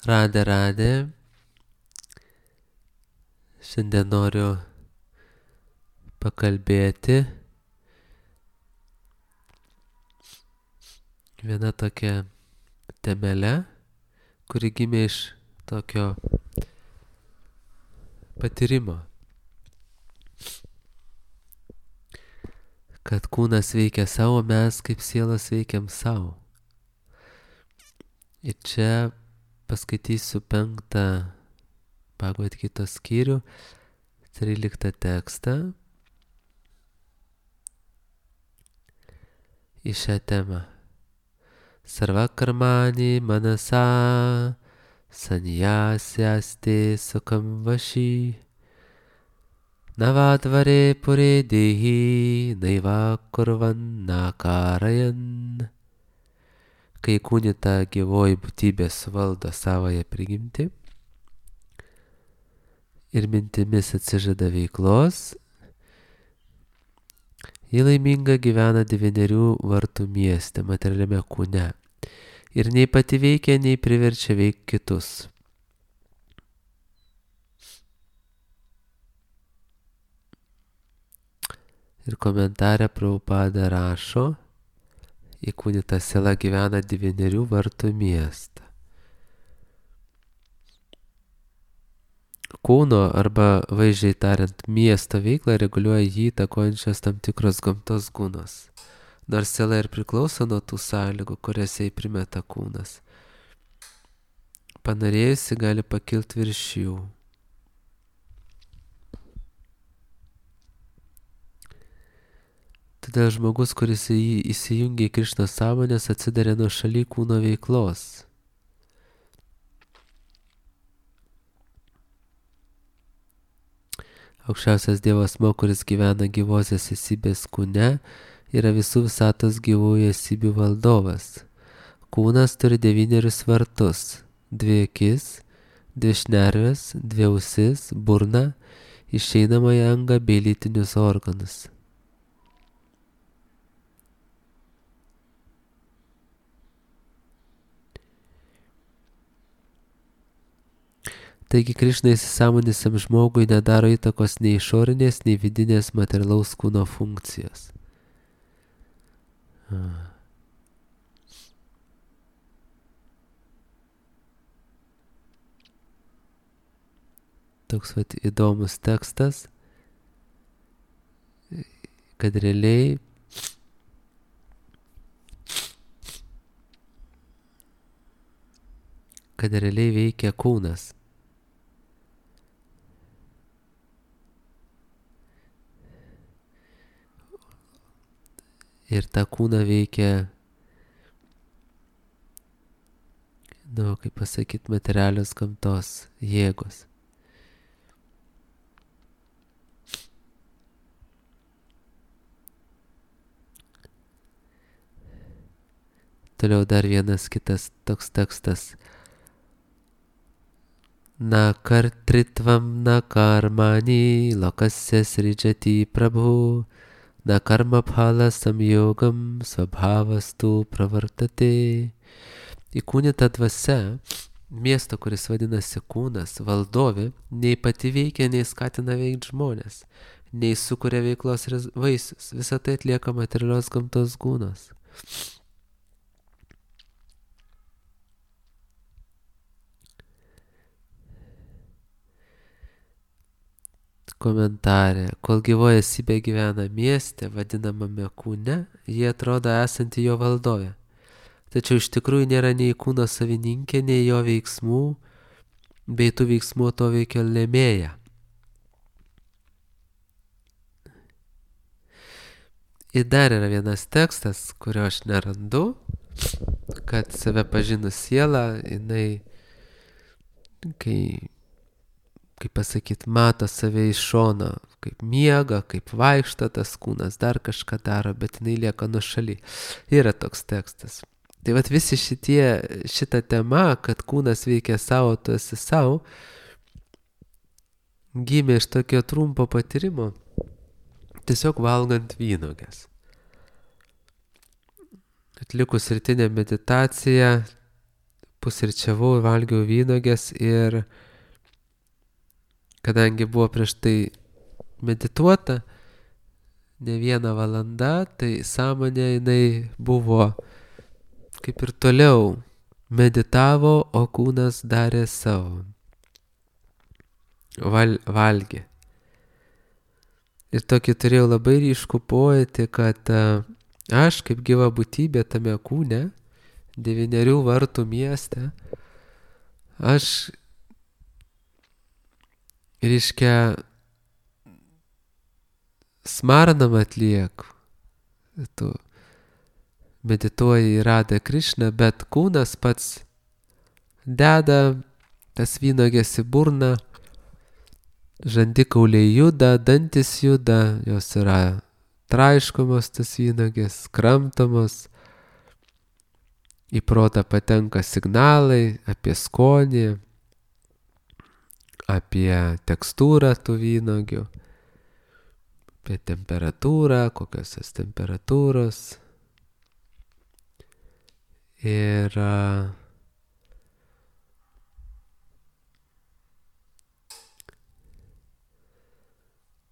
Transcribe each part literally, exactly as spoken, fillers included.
Radė, radė. Šiandien noriu pakalbėti viena tokia temelė, kuri gimė iš tokio patyrimo, kad kūnas veikia savo, mes kaip sielas veikiam savo. Ir čia paskaitysiu penktą Bhagavad Gitos skyrių, tryliktą tekstą į šią temą. Sarva karmani manasa sanyasyaste sukam vashi navatvare pure dehi naiva kurvan nakarayan. Kai kūnita gyvoji būtybė suvaldo savąją prigimtį ir mintimis atsižada veiklos, ji laiminga gyvena devynerių vartų mieste, materialiame kūne, ir nei pati veikia, nei priverčia veikti kitus. Ir komentare Prabhupada rašo, įkūnyta siela gyvena devynerių vartų miestą. Kūno arba, vaizdžiai tariant, miesto veiklą reguliuoja jį įtakojančios tam tikros gamtos gūnos. Nors siela ir priklauso nuo tų sąlygų, kurias jai primeta kūnas. Panorėjusi gali pakilti virš jų. Todėl žmogus, kuris įsijungia į Krišnos sąmonės, atsidarė nuo šaly kūno veiklos. Aukščiausias Dievo asmuo, kuris gyvena gyvosios esybės kūne, yra visų visatos gyvųjų esybių valdovas. Kūnas turi devynerius vartus, dvi akis, dvi šnerves, dvi ausis, burną, išeinamąją angą bei lytinius organus. Taigi Krišna įsisąmonusiam žmogui nedaro įtakos nei išorinės, nei vidinės materialaus kūno funkcijos. Toks vat įdomus tekstas, kad realiai kad realiai veikia kūnas. Ir tą kūną veikia, nu, kaip pasakyti, materialios gamtos jėgos. Toliau dar vienas kitas toks tekstas. Na kartritvam, na karmani, lokasya srijati prabhu, na karma phala samyogam, svabhavastu pravartate. Įkūnyta dvasia, miesto, kuris vadinasi kūnas, valdovė, nei pati veikia, nei skatina veikti žmonės, nei sukuria veiklos vaisius. Visą tai atlieka materialios gamtos gūnos. Komentarė. Kol gyvoji esybė gyvena mieste, vadinamame kūne, jie atrodo esanti jo valdovė. Tačiau iš tikrųjų nėra nei kūno savininkė, nei jo veiksmų, bei tų veiksmų to veikia lėmėja. Ir dar yra vienas tekstas, kurio aš nerandu, kad save pažinus sielą, jinai, kai kaip pasakyti, mato save iš šono, kaip miega, kaip vaikšto tas kūnas, dar kažką daro, bet jinai lieka nuošaly. Yra toks tekstas. Tai vat visi šitie, šita tema, kad kūnas veikia savo, tu esi savo, gimė iš tokio trumpo patyrimo, tiesiog valgant vynuoges. Atlikus rytinę meditaciją, pusryčiavau, valgiau vynogės ir kadangi buvo prieš tai medituota ne vieną valandą, tai sąmonė jinai buvo kaip ir toliau meditavo, o kūnas darė savo. Val, valgė. Ir tokį turėjau labai ryškų pojūtį, kad aš kaip gyva būtybė tame kūne, devynerių vartų mieste, aš, reiškia, smarnam atlieku. Tu medituoji į Radą Krišną, bet kūnas pats deda tas vynogės į burną, žandikauliai juda, dantis juda, jos yra traiškomos tas vynogės, kramtomos, į protą patenka signalai apie skonį, apie tekstūrą tų vynogių, apie temperatūrą, kokios jos temperatūros. Ir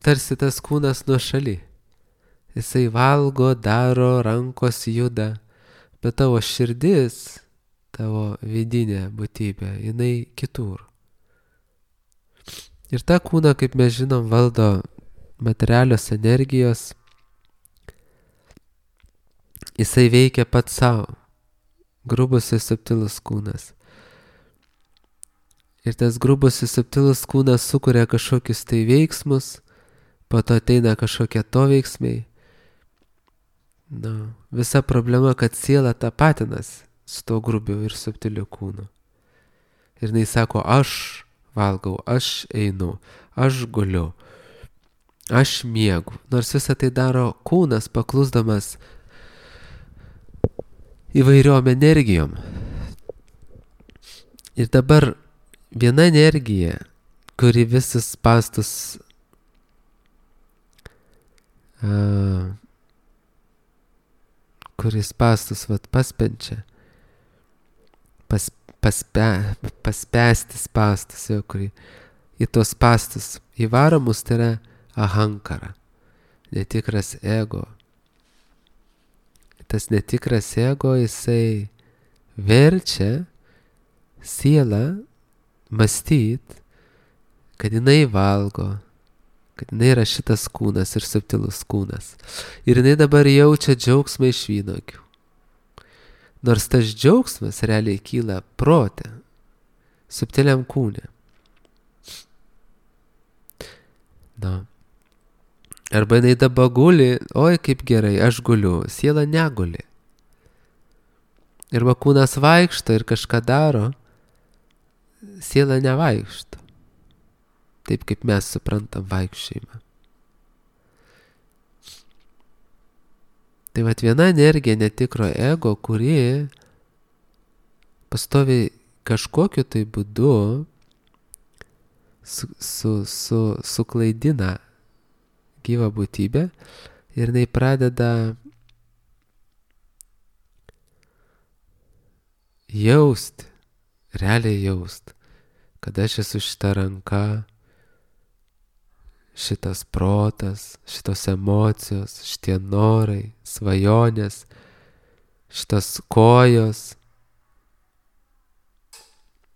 tarsi tas kūnas nuošaly. Jisai valgo, daro, rankos juda, bet tavo širdis, tavo vidinė būtybė, jinai kitur. Ir tą kūną, kaip mes žinom, valdo materialios energijos. Jisai veikia pats savo. Grubus ir subtilus kūnas. Ir tas grubus ir subtilus kūnas sukuria kažkokius tai veiksmus, po to ateina kažkokie to veiksmai. Na, visa problema, kad siela tapatinas su to grubiu ir subtiliu kūnu. Ir jinai sako, aš valgau, aš einu, aš guliu, aš miegu. Nors visą tai daro kūnas, paklusdamas įvairiom energijom. Ir dabar viena energija, kuri visus spastus uh, kuris spastus vat, paspenčia, pas, paspe, paspesti spastus, jo, kurį į tos spastus įvaromus, tai yra ahankara, netikras ego. Tas netikras ego, jisai verčia sielą mąstyt, kad jinai valgo, kad jinai yra šitas kūnas ir subtilus kūnas. Ir jinai dabar jaučia džiaugsmą iš vynogių. Nors tas džiaugsmas realiai kyla prote, subtiliam kūne. Na. Arba jinai dabar guli, oi kaip gerai, aš guliu, siela neguli. Arba kūnas vaikšto ir kažką daro, siela nevaikšto. Taip kaip mes suprantam vaikščiojimą. Tai vat viena energija netikro ego, kuri pastoviai kažkokiu tai būdu su, su, su, suklaidina gyvą būtybę ir jinai pradeda jausti, realiai jausti, kad aš esu šita ranka, šitas protas, šitos emocijos, šitie norai, svajonės, šitos kojos,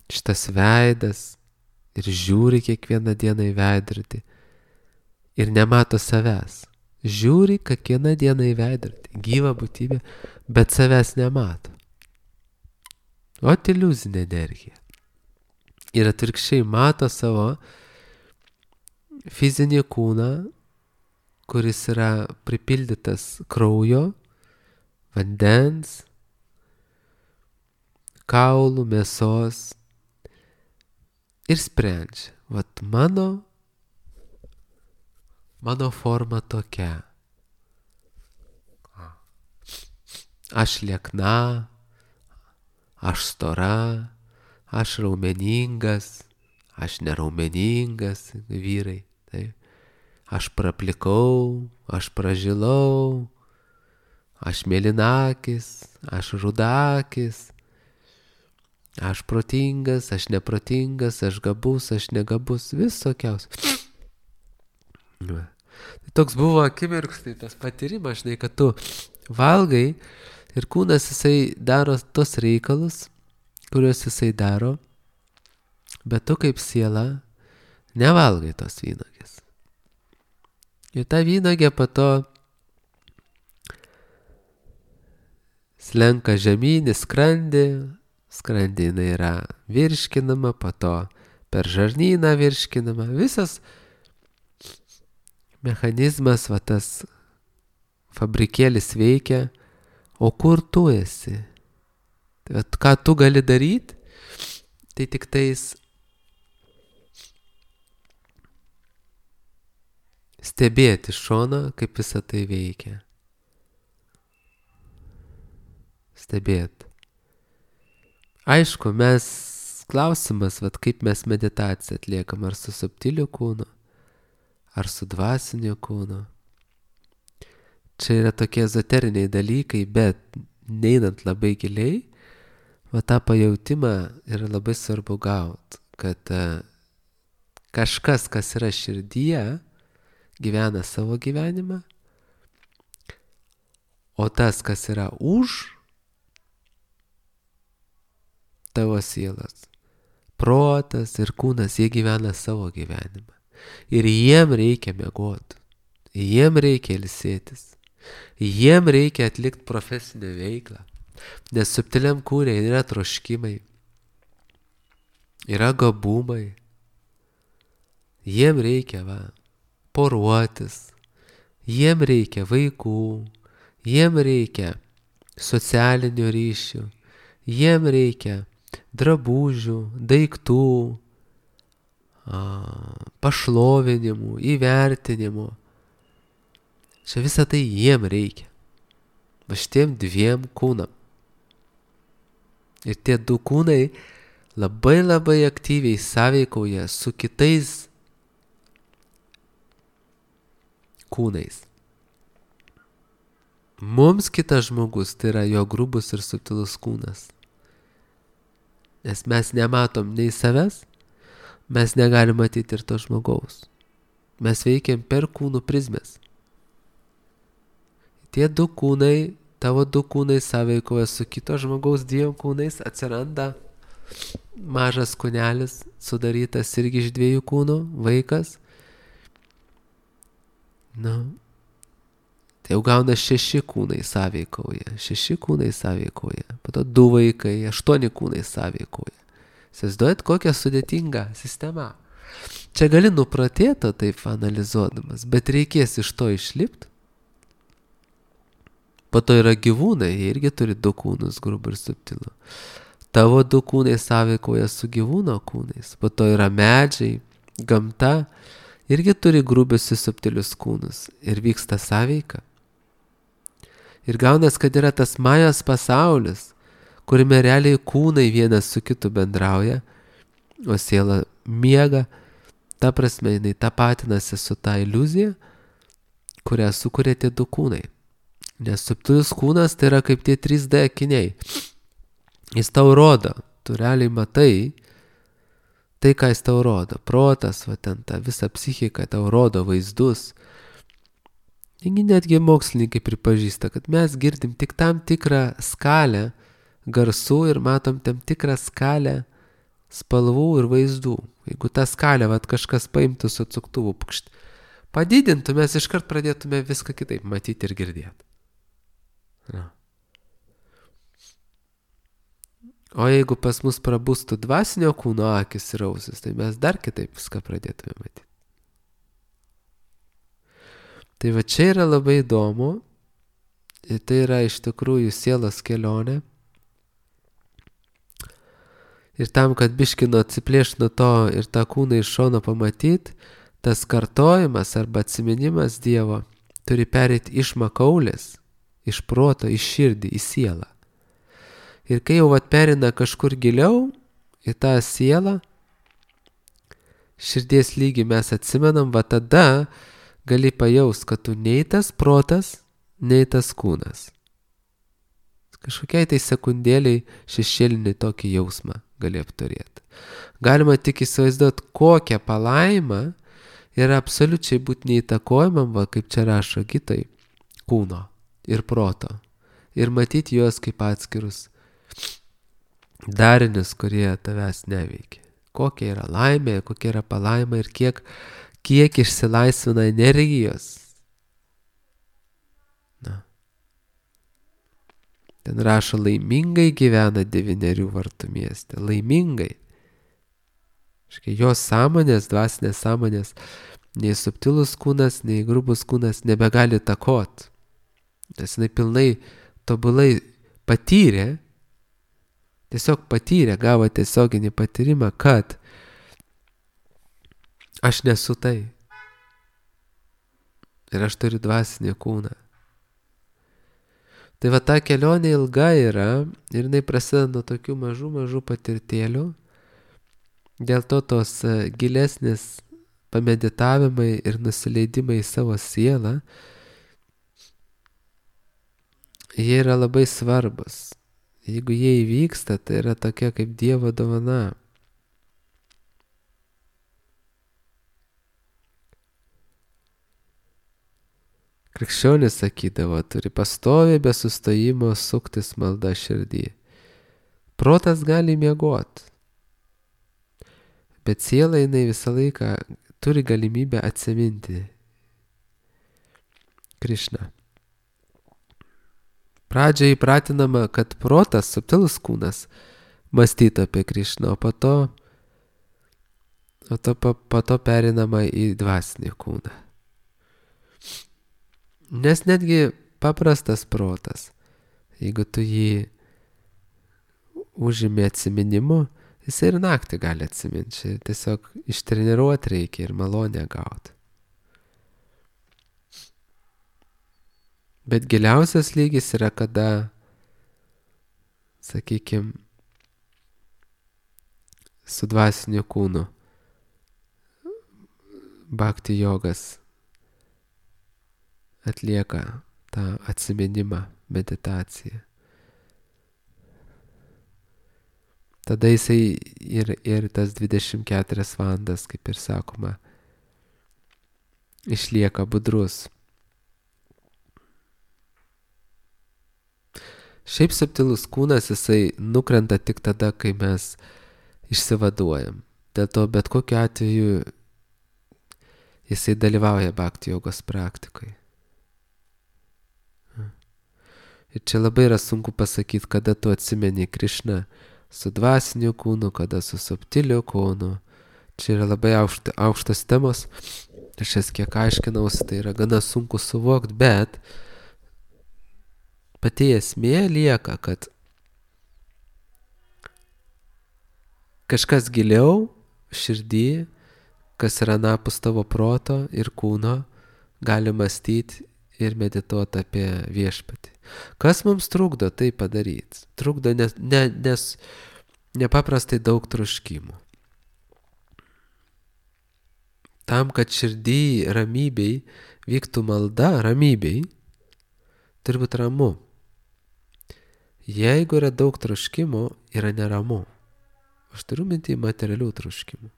šitas veidas ir žiūri kiekvieną dieną į veidrodį. Ir nemato savęs. Žiūri kiekvieną dieną į veidrodį, gyvą būtybę, bet savęs nemato. O iliuzinė energija. Ir atvirkščiai mato savo fizinį kūną, kuris yra pripildytas kraujo, vandens, kaulų, mėsos ir sprendžia. Vat mano Mano forma tokia. Aš liekna, aš stora, aš raumeningas, aš neraumeningas, vyrai. Tai. Aš praplikau, aš pražilau, aš mėlynakis, aš rudakis, Aš protingas, aš neprotingas, aš gabus, aš negabus, visokiaus. Tai toks buvo akimirkstai tas patyrimas, žinai, kad tu valgai ir kūnas jisai daro tos reikalus, kuriuos jisai daro, bet tu kaip siela nevalgai tos vynogės. Ir ta vynogė po to slenka žemyn į skrandį, skrandį jinai yra virškinama, po to per žarnyną virškinama, visas mechanizmas, va tas fabrikėlis veikia, o kur tu esi? Tai vat, ką tu gali daryti, tai tik tais stebėti iš šono, kaip visa tai veikia. Stebėti. Aišku, mes klausimas, vat, kaip mes meditaciją atliekam, ar su subtiliu kūnu, ar su dvasiniu kūnu. Čia yra tokie ezoteriniai dalykai, bet neinant labai giliai, va tą pajautimą yra labai svarbu gauti, kad uh, kažkas, kas yra širdyje, gyvena savo gyvenimą, o tas, kas yra už tavo sielos, protas ir kūnas, jie gyvena savo gyvenimą. Ir jiem reikia miegoti, jiem reikia ilsėtis, jiem reikia atlikti profesinę veiklą, nes subtiliam kūne yra troškimai, yra gabumai, jiem reikia va, poruotis, jiem reikia vaikų, jiem reikia socialinių ryšių, jiem reikia drabužių, daiktų, pašlovinimų, įvertinimų. Čia visą tai jiem reikia. Va šitiem dviem kūnam. Ir tie du kūnai labai labai aktyviai sąveikauja su kitais kūnais. Mums kitas žmogus tai yra jo grubus ir subtilus kūnas. Nes mes nematom nei savęs, mes negalim matyti ir to žmogaus. Mes veikiam per kūnų prizmės. Tie du kūnai, tavo du kūnai sąveikoja su kito žmogaus dviem kūnais, atsiranda mažas kūnelis, sudarytas irgi iš dviejų kūnų, vaikas. Nu, tai jau gauna šeši kūnai sąveikauja, šeši kūnai sąveikauja, po to du vaikai, aštuoni kūnai sąveikauja. Įsivaizduojat, kokia sudėtinga sistema. Čia gali nupratėti taip analizuodamas, bet reikės iš to išlipti. Po to yra gyvūnai, jie irgi turi du kūnus, grubų ir subtilų. Tavo du kūnai sąveikoja su gyvūno kūnais. Po to yra medžiai, gamta, irgi turi grubius ir subtilius kūnus. Ir vyksta sąveika. Ir gaunas, kad yra tas majos pasaulis, kuriame realiai kūnai vienas su kitu bendrauja, o siela miega. Ta prasme, jinai tapatinasi su ta iliuzija, kurią sukuria tie du kūnai. Nes subtilus kūnas tai yra kaip tie trys D akiniai. Jis tau rodo, tu realiai matai tai, ką jis tau rodo. Protas, va ten ta visa psichika tau rodo vaizdus. Taigi netgi mokslininkai pripažįsta, kad mes girdim tik tam tikrą skalę garsų ir matom tam tikrą skalę spalvų ir vaizdų. Jeigu tą skalę va, kažkas paimtų su atsuktuvu, pukšt, padidintų, mes iškart pradėtume viską kitaip matyti ir girdėti. Na. O jeigu pas mus prabustų dvasinio kūno akis ir ausis, tai mes dar kitaip viską pradėtume matyti. Tai va čia yra labai įdomu, ir tai yra iš tikrųjų sielos kelionė. Ir tam, kad biškino atsiplėšt nuo to ir tą kūną iš šono pamatyti, tas kartojimas arba atsiminimas Dievo turi pereiti iš makaulės, iš proto, iš širdį, į sielą. Ir kai jau vat perina kažkur giliau į tą sielą, širdies lygį mes atsimenam, va tada gali pajaust, kad tu nei tas protas, nei tas kūnas. Kažkokiai tai sekundėliai šešėlinį tokį jausmą gali apturėti. Galima tik įsivaizduoti, kokią palaimą yra absoliučiai būti neįtakojamam, va, kaip čia rašo Gitai, kūno ir proto. Ir matyti juos kaip atskirus darinius, kurie tavęs neveikia. Kokia yra laimė, kokia yra palaima ir kiek, kiek išsilaisvina energijos. Na. Ten rašo, laimingai gyvena devynerių vartų mieste. Laimingai. Škai jos sąmonės, dvasinės sąmonės, nei subtilus kūnas, nei grubus kūnas nebegali takot. Nes jinai pilnai, tobulai patyrė, tiesiog patyrė, gavo tiesioginį patyrimą, kad aš nesu tai. Ir aš turiu dvasinį kūną. Tai va ta kelionė ilga yra ir jinai prasideda nuo tokių mažų, mažų patirtėlių. Dėl to tos gilesnės pameditavimai ir nusileidimai į savo sielą, jie yra labai svarbus. Jeigu jie įvyksta, tai yra tokia kaip Dievo dovana. Krikščionis sakydavo, turi pastoviai be sustojimo suktis malda širdį. Protas gali miegoti, bet siela jinai visą laiką turi galimybę atsiminti Krišną. Pradžioje įpratinama, kad protas, subtilus kūnas, mąstytų apie Krišną, o po to, o to, po, po to perinama į dvasinį kūną. Nes netgi paprastas protas, jeigu tu jį užimi atsiminimu, jis ir naktį gali atsiminti. Tiesiog ištreniruoti reikia ir malonę gauti. Bet giliausias lygis yra, kada, sakykime, su dvasiniu kūnu bhakti jogas atlieka tą atsiminimą, meditaciją. Tada jisai ir, ir tas dvidešimt keturias valandas, kaip ir sakoma, išlieka budrus. Šiaip subtilus kūnas jisai nukrenta tik tada, kai mes išsivaduojam. Dėl to bet kokiu atveju jisai dalyvauja bhakti jogos praktikoje. Ir čia labai yra sunku pasakyti, kada tu atsimeni Krišną su dvasiniu kūnu, kada su subtiliu kūnu. Čia yra labai aukšta, aukštos temos. Aš jas kiek aiškinausi, tai yra gana sunku suvokti, bet pati esmė lieka, kad kažkas giliau širdį, kas yra anapus tavo proto ir kūno, gali mąstyti ir medituoti apie viešpatį. Kas mums trukdo tai padaryti? Trukdo nes, ne, nes nepaprastai daug troškimų. Tam, kad širdį ramybei vyktų malda, ramybei, turi būti ramu. Jeigu yra daug troškimų, yra neramu. Aš turiu mintį materialių troškimų.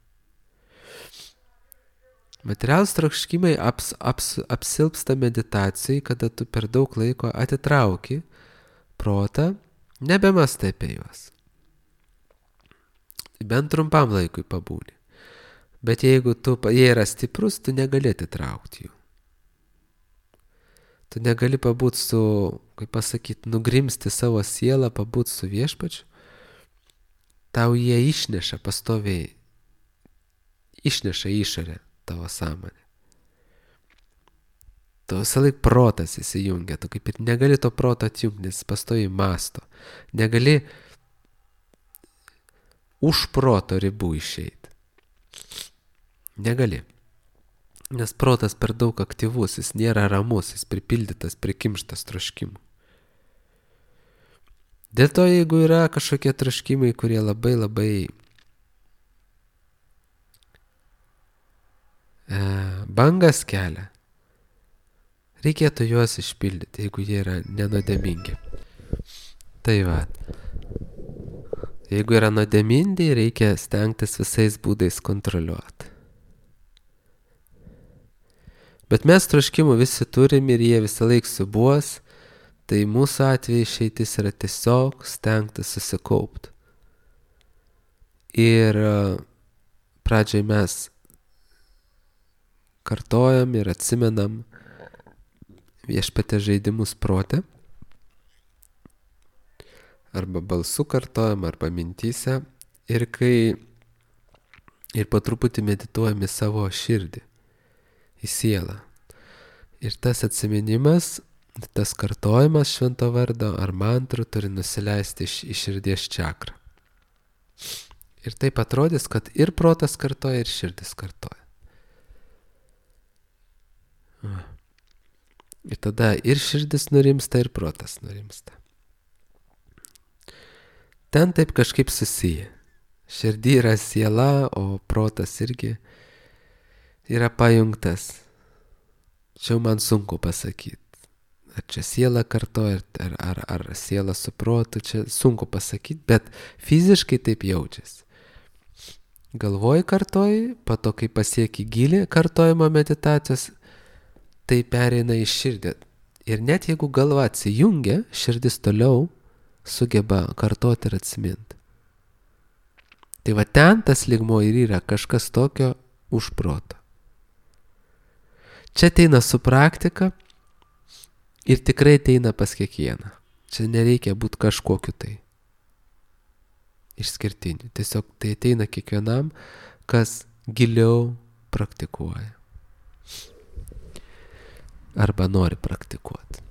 Materialūs troškimai aps, aps, apsilpsta meditacijai, kada tu per daug laiko atitrauki protą, nebemastai apie juos. Bent trumpam laikui pabūni. Bet jeigu tu, jie yra stiprus, tu negali atitraukti jų. Tu negali pabūti su, kaip pasakyti, nugrimsti savo sielą, pabūti su viešpačiu. Tau jie išneša pastoviai, išneša išorę tavo sąmonę. Tu visą laik protas įsijungia, tu kaip ir negali to proto atjungti, nes pastoviai masto. Negali už proto ribų išeiti. Negali. Nes protas per daug aktyvus, jis nėra ramus, jis pripildytas, prikimštas troškimų. Dėl to, jeigu yra kažkokie troškimai, kurie labai labai e, bangas kelia, reikėtų juos išpildyti, jeigu jie yra nenuodėmingi. Tai va. Jeigu yra nuodėmindai, reikia stengtis visais būdais kontroliuoti. Bet mes troškimų visi turim ir jie visą laiką subuos, tai mūsų atveju išeitis yra tiesiog stengtis susikaupti. Ir pradžiai mes kartojam ir atsimenam Viešpaties žaidimus prote, arba balsu kartojam, arba mintyse, ir kai ir po truputį medituojam į savo širdį, į sielą. Ir tas atsiminimas, tas kartojimas švento vardo ar mantrų turi nusileisti iš, iš širdies čakrą. Ir taip atrodys, kad ir protas kartoja, ir širdis kartoja. Ir tada ir širdis nurimsta, ir protas nurimsta. Ten taip kažkaip susiję. Širdį yra siela, o protas irgi yra pajungtas. Čia man sunku pasakyti. Ar čia siela kartoja, ar, ar, ar siela su protu, čia sunku pasakyti, bet fiziškai taip jaučiasi. Galvoji kartoji, po to, kai pasieki gilį kartojimo meditacijos, tai pereina į širdį. Ir net jeigu galva atsijungia, širdis toliau sugeba kartoti ir atsiminti. Tai va ten tas lygmuo ir yra kažkas tokio už proto. Čia ateina su praktika ir tikrai ateina pas kiekvieną. Čia nereikia būti kažkokiu tai išskirtiniu. Tiesiog tai ateina kiekvienam, kas giliau praktikuoja. Arba nori praktikuoti.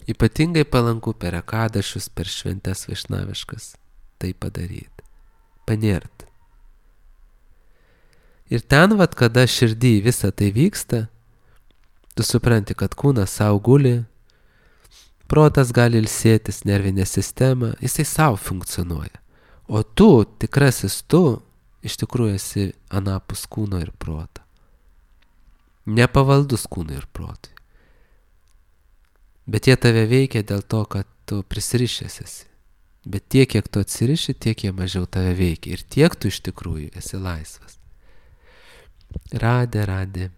Ypatingai palanku per akadašius, per šventes vaišnaviškas tai padaryti. Panert. Ir ten, vat, kada širdį visą tai vyksta, tu supranti, kad kūnas savo guli, protas gali ilsėtis, nervinė sistema, jisai savo funkcionuoja. O tu, tikrasis tu, iš tikrųjų esi anapus kūno ir proto. Nepavaldus kūnui ir protui. Bet jie tave veikia dėl to, kad tu prisirišęs esi. Bet tiek, kiek tu atsiriši, tiek jie mažiau tave veikia. Ir tiek tu iš tikrųjų esi laisvas. Radė, radė.